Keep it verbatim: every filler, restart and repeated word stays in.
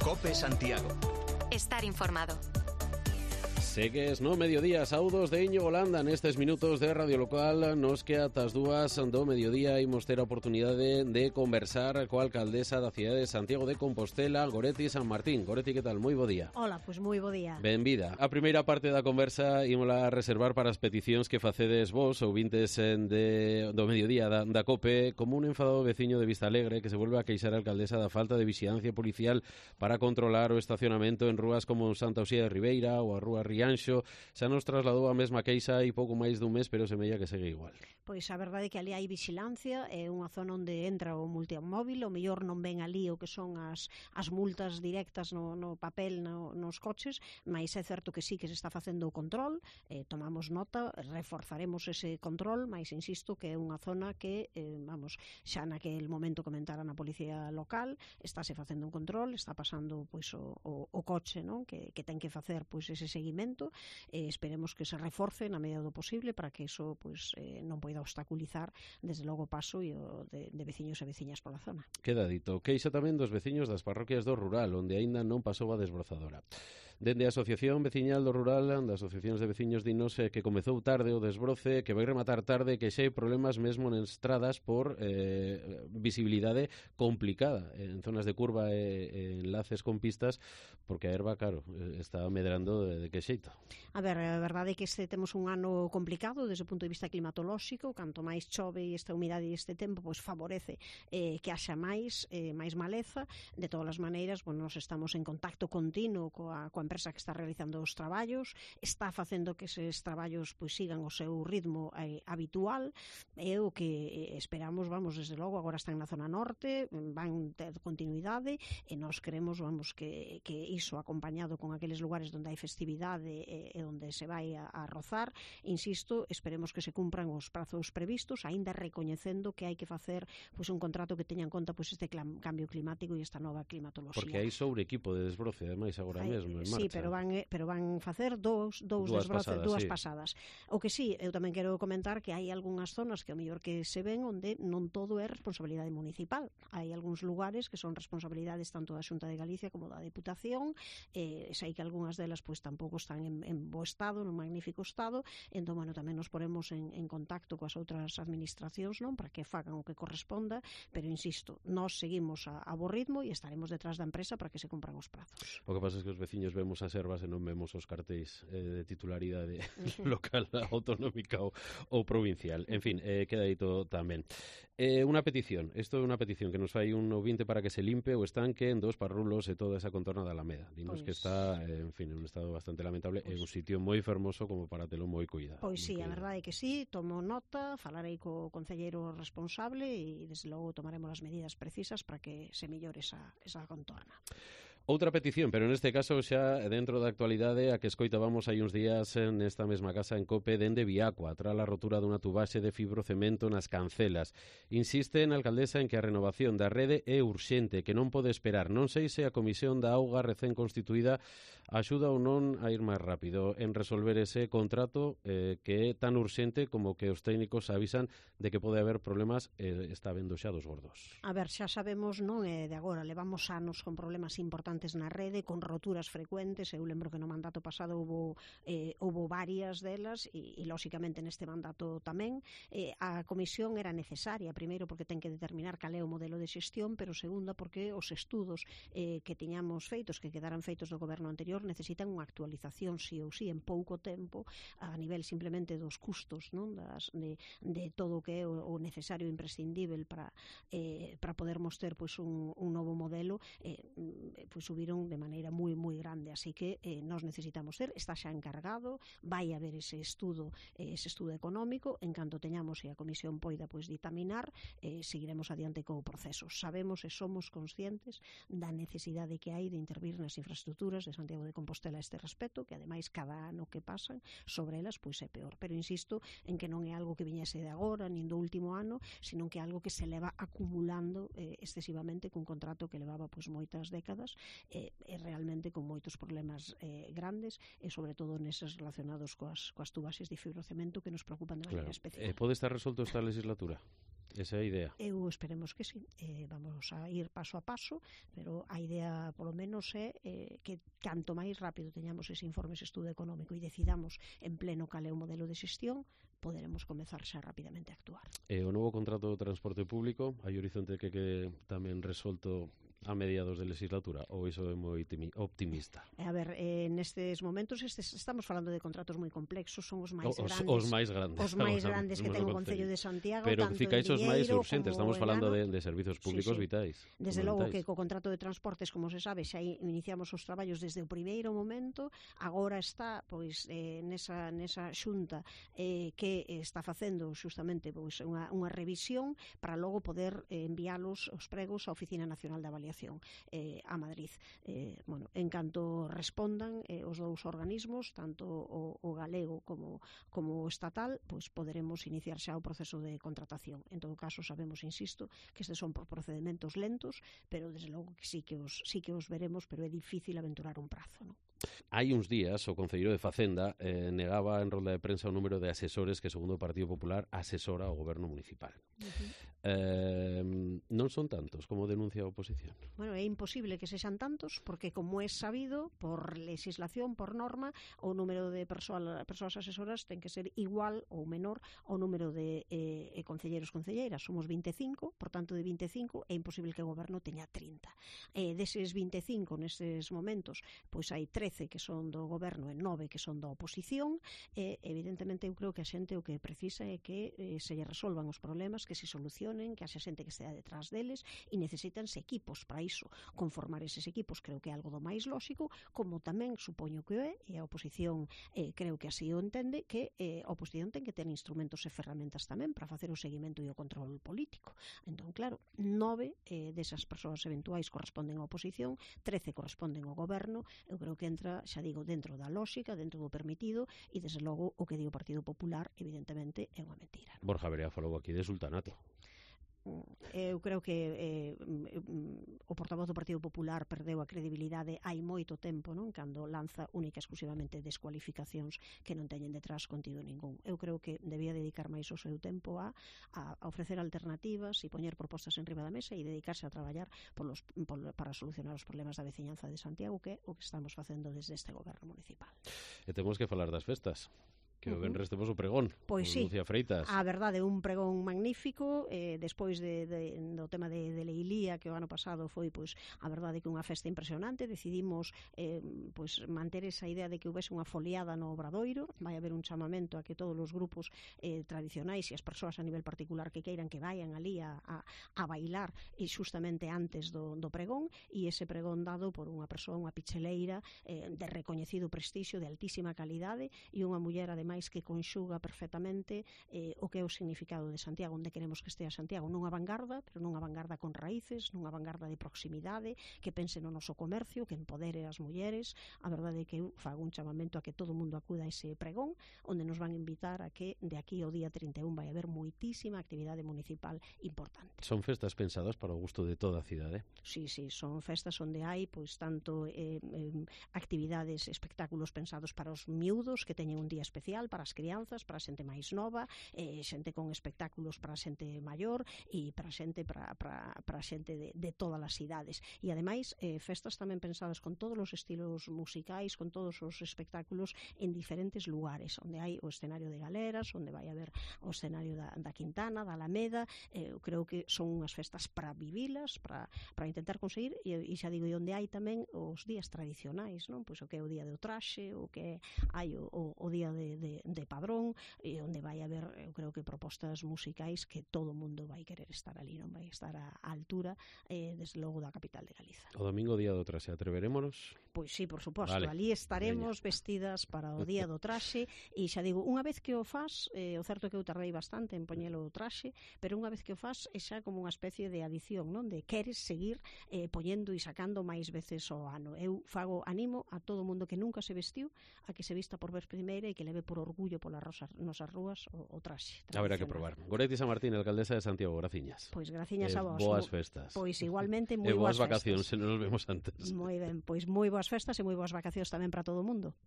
COPE Santiago. Estar informado. Segues no mediodía, saudos de Íñigo Landa nestes minutos de Radio Local. Nos que atas dúas do mediodía imos ter a oportunidade de conversar coa alcaldesa da cidade de Santiago de Compostela, Goretti San Martín. Goretti, que tal? Moi bo día. Hola, pois pues moi bo día. Benvida. A primeira parte da conversa ímola reservar para as peticións que facedes vos, ouvintes de, do mediodía da, da COPE, como un enfadado veciño de Vista Alegre que se volve a queixar a alcaldesa da falta de vixilancia policial para controlar o estacionamento en rúas como Santa Uxía de Ribeira ou a Rúa Rianxo. Xa nos trasladou a mesma queixa hai pouco máis dun mes, pero semella que segue igual. Pois a verdade é que ali hai vixilancia, é unha zona onde entra o multimóvil, o mellor non ven ali o que son as, as multas directas no, no papel no, nos coches, mas é certo que sí que se está facendo o control, eh, tomamos nota, reforzaremos ese control, mas insisto que é unha zona que, eh, vamos, xa naquel momento comentaran a policía local, estáse facendo un control, está pasando pois o, o, o coche, non? Que, que ten que facer pois ese seguimento. Eh, esperemos que se reforce na medida do posible para que iso pues, eh, non poida obstaculizar desde logo o paso e o de, de veciños e veciñas pola zona. Queda dito. Queixa tamén dos veciños das parroquias do rural, onde aínda non pasou a desbrozadora. Dende a Asociación Veciñal do Rural, das asociacións de veciños dinos eh, que comezou tarde o desbroce, que vai rematar tarde, que xa hai problemas mesmo nas estradas por eh, visibilidade complicada en zonas de curva e, e enlaces con pistas, porque a erva, claro, está medrando de, de que xeito. A ver, a verdade é que este temos un ano complicado desde o punto de vista climatolóxico. Canto máis chove e esta humidade e este tempo, pois favorece eh, que haxa máis eh, máis maleza. De todas as maneiras, bueno, nos estamos en contacto continuo coa, coa empresa que está realizando os traballos, está facendo que eses traballos pois sigan o seu ritmo eh, habitual, e o que esperamos, vamos, desde logo, agora están na zona norte, van ter continuidade, e nós queremos, vamos, que, que iso acompañado con aqueles lugares onde hai festividade e, e onde se vai a, a rozar, insisto, esperemos que se cumpran os prazos previstos, aínda recoñecendo que hai que facer pois un contrato que teña en conta pois este clam, cambio climático e esta nova climatoloxía. Porque hai sobre equipo de desbroce, ademais, agora hai, mesmo, en marcha. Sí, pero van, pero van facer dous, dous dúas desbroces, pasadas, dúas sí. pasadas. O que sí, eu tamén quero comentar que hai algunhas zonas que o mellor que se ven onde non todo é responsabilidade municipal. Hai algúns lugares que son responsabilidades tanto da Xunta de Galicia como da Deputación, eh, sei que algunhas delas pois tampouco están en, en bo estado, nun magnífico estado, entón, bueno, tamén nos poremos en, en contacto coas outras administracións, non, para que fagan o que corresponda, pero insisto, nós seguimos a, a bo ritmo e estaremos detrás da empresa para que se cumpran os prazos. O que pasa é que os veciños vemos as ervas e non vemos os cartéis eh, de titularidade local, autonómica ou, ou provincial. En fin, eh, queda dito tamén. Eh, unha petición, isto é unha petición que nos fai un ouvinte para que se limpe o estanque en dos parrulos e toda esa contorna da Alameda. Dinos pues, que está, eh, en fin, en un estado bastante lamentable, pues, en un sitio moi fermoso como para telo moi cuidado. Pois sí, cuidado. A verdade é que sí, tomo nota, falarei co concelleiro responsable e desde logo tomaremos as medidas precisas para que se mellore esa, esa contorna. Outra petición, pero neste caso xa dentro da actualidade a que escoitábamos hai uns días nesta mesma casa en COPE dende Viacua, tras a rotura dunha tubaxe de fibrocemento nas cancelas. Insiste na alcaldesa en que a renovación da rede é urxente, que non pode esperar. Non sei se a Comisión da Auga recén constituída axuda ou non a ir máis rápido en resolver ese contrato eh, que é tan urxente como que os técnicos avisan de que pode haber problemas e eh, está vendo xa dos gordos. A ver, xa sabemos, non é de agora, levamos anos con problemas importantes na rede, con roturas frecuentes. Eu lembro que no mandato pasado houbo, eh, houbo varias delas e, e lóxicamente neste mandato tamén. Eh, a comisión era necesaria, primeiro porque ten que determinar cal é o modelo de xestión, pero segunda porque os estudos eh, que tiñamos feitos, que quedaran feitos do goberno anterior, necesitan unha actualización sí ou sí en pouco tempo a nivel simplemente dos custos, non? Das, de, de todo o que é o, o necesario e imprescindível para, eh, para podermos ter pois, un, un novo modelo, eh, pois subiron de maneira moi moi grande, así que eh, nós necesitamos ter, está xa encargado, vai haber ese estudo, eh, ese estudo económico, en canto teñamos e a comisión poida pois ditaminar, eh, seguiremos adiante co proceso. Sabemos e somos conscientes da necesidade que hai de intervir nas infraestructuras de Santiago de Compostela a este respecto, que ademais cada ano que pasan sobre elas pois é peor, pero insisto en que non é algo que viñese de agora, nin do último ano, sino que é algo que se leva acumulando eh, excesivamente cun contrato que levaba pois moitas décadas e, e realmente con moitos problemas eh, grandes e sobre todo neses relacionados coas, coas tubaxes de fibrocemento que nos preocupan de maneira claro. especial. Eh, pode estar resolto esta legislatura? Esa é a idea. Eu esperemos que sí. Eh, vamos a ir paso a paso, pero a idea, polo menos, é eh, que canto máis rápido teñamos ese informe, ese estudo económico e decidamos en pleno cal é o modelo de xestión, poderemos comezar xa rapidamente a actuar. E o novo contrato do transporte público, hai horizonte que que tamén resolto a mediados de legislatura, ou iso é moi optimista? A ver, eh, nestes momentos estes, estamos falando de contratos moi complexos, son os máis os, grandes, os máis grandes, os máis grandes que ten o Concello de Santiago, pero tanto ficáis os máis urxentes, estamos falando de, ano. de servizos públicos sí, sí. vitais. Desde logo que co contrato de transportes, como se sabe, xa iniciamos os traballos desde o primeiro momento, agora está pois eh, nesa, nesa xunta eh, que está facendo justamente pois, unha, unha revisión para logo poder eh, enviálos os pregos á Oficina Nacional de Avaliación eh, a Madrid. Eh, bueno, en canto respondan eh, os dous organismos, tanto o, o galego como, como o estatal, pois poderemos iniciar xa o proceso de contratación. En todo caso, sabemos, insisto, que estes son por procedimentos lentos, pero desde logo que sí que os, sí que os veremos, pero é difícil aventurar un prazo, non? Hai uns días o Concelleiro de Facenda eh, negaba en rolda de prensa o número de asesores que, segundo o Partido Popular, asesora ao goberno municipal. Uh-huh. eh, non son tantos como denuncia a oposición. Bueno, é imposible que sexan tantos porque, como é sabido, por legislación, por norma, o número de persoas, persoas asesoras ten que ser igual ou menor ao número de eh, concelleiros concelleiras. Somos vinte e cinco, por tanto de vinte e cinco é imposible que o goberno teña trinta. Eh, deses vinte e cinco nestes momentos, pois hai trece que son do goberno e nove que son da oposición, e evidentemente eu creo que a xente o que precisa é que eh, se lle resolvan os problemas, que se solucionen, que haxa xente que estea detrás deles, e necesitanse equipos para iso. Conformar eses equipos creo que é algo do máis lóxico, como tamén supoño que é, e a oposición eh, creo que así o entende, que eh, a oposición ten que ter instrumentos e ferramentas tamén para facer o seguimento e o control político. Entón, claro, nove eh, desas persoas eventuais corresponden á oposición, trece corresponden ao goberno. Eu creo que entra, xa digo, dentro da lógica, dentro do permitido, e desde logo o que di o Partido Popular evidentemente é unha mentira, non? Borja Verea falou aquí de sultanato. Eu creo que eh, o portavoz do Partido Popular perdeu a credibilidade hai moito tempo, non? Cando lanza única e exclusivamente descualificacións que non teñen detrás contido ningún. Eu creo que debía dedicar máis o seu tempo a, a ofrecer alternativas e poñer propostas en riba da mesa e dedicarse a traballar por los, por, para solucionar os problemas da veciñanza de Santiago, que é o que estamos facendo desde este goberno municipal. E temos que falar das festas. Que o venres temos o pregón, pois sí, Lucía Freitas. A verdade, un pregón magnífico, eh, despois de, de, do tema de, de Leilía, que o ano pasado foi, pois, a verdade que unha festa impresionante. Decidimos eh, pois, manter esa idea de que houvese unha foliada no Obradoiro. Vai haber un chamamento a que todos os grupos eh, tradicionais e as persoas a nivel particular que queiran que vayan ali a, a, a bailar e justamente antes do, do pregón, e ese pregón dado por unha persoa, unha picheleira eh, de recoñecido prestixio, de altísima calidade, e unha muller, ademais, que conxuga perfectamente eh, o que é o significado de Santiago, onde queremos que estea Santiago, nunha vanguarda, pero nunha vanguarda con raíces, nunha vanguarda de proximidade, que pense no noso comercio, que empodere as mulleres. A verdade é que eu fago un chamamento a que todo o mundo acuda a ese pregón, onde nos van invitar a que de aquí ao día trinta e un vai haber moitísima actividade municipal importante. Son festas pensadas para o gusto de toda a cidade? Sí, sí, son festas onde hai pois tanto eh, eh, actividades, espectáculos pensados para os miúdos, que teñen un día especial, para as crianzas, para a xente máis nova, eh, xente con espectáculos para a xente maior e para a xente para, para, para a xente de, de todas as idades. E ademais, eh, festas tamén pensadas con todos os estilos musicais, con todos os espectáculos en diferentes lugares, onde hai o escenario de Galeras, onde vai haber o escenario da, da Quintana, da Alameda. Eh, eu creo que son unhas festas para vivilas, para, para intentar conseguir, e, e xa digo, e onde hai tamén os días tradicionais, non? Pois o que é o día do traxe, o que hai o, o, o día de, de de Padrón, e onde vai haber, eu creo que propostas musicais que todo o mundo vai querer estar ali, non vai estar a, a altura eh, desde logo da capital de Galiza. O domingo día do traxe, atreverémonos? Pois sí, por suposto, vale. Ali estaremos Veña. Vestidas para o día do traxe, e xa digo, unha vez que o faz, eh, o certo é que eu tardei bastante en poñelo o traxe, pero unha vez que o faz é xa como unha especie de adición, non? De queres seguir eh, poñendo e sacando máis veces ao ano. Eu fago, animo a todo o mundo que nunca se vestiu a que se vista por vez primeira e que leve por orgullo polas nosas rúas o, o traxe. Haberá que probar. Goretti San Martín, alcaldesa de Santiago, graciñas. Pois graciñas eh, a vos. Boas festas. Pois igualmente moi boas boas vacacións, festas. se non nos vemos antes. Moi ben, pois moi boas festas e moi boas vacacións tamén para todo o mundo.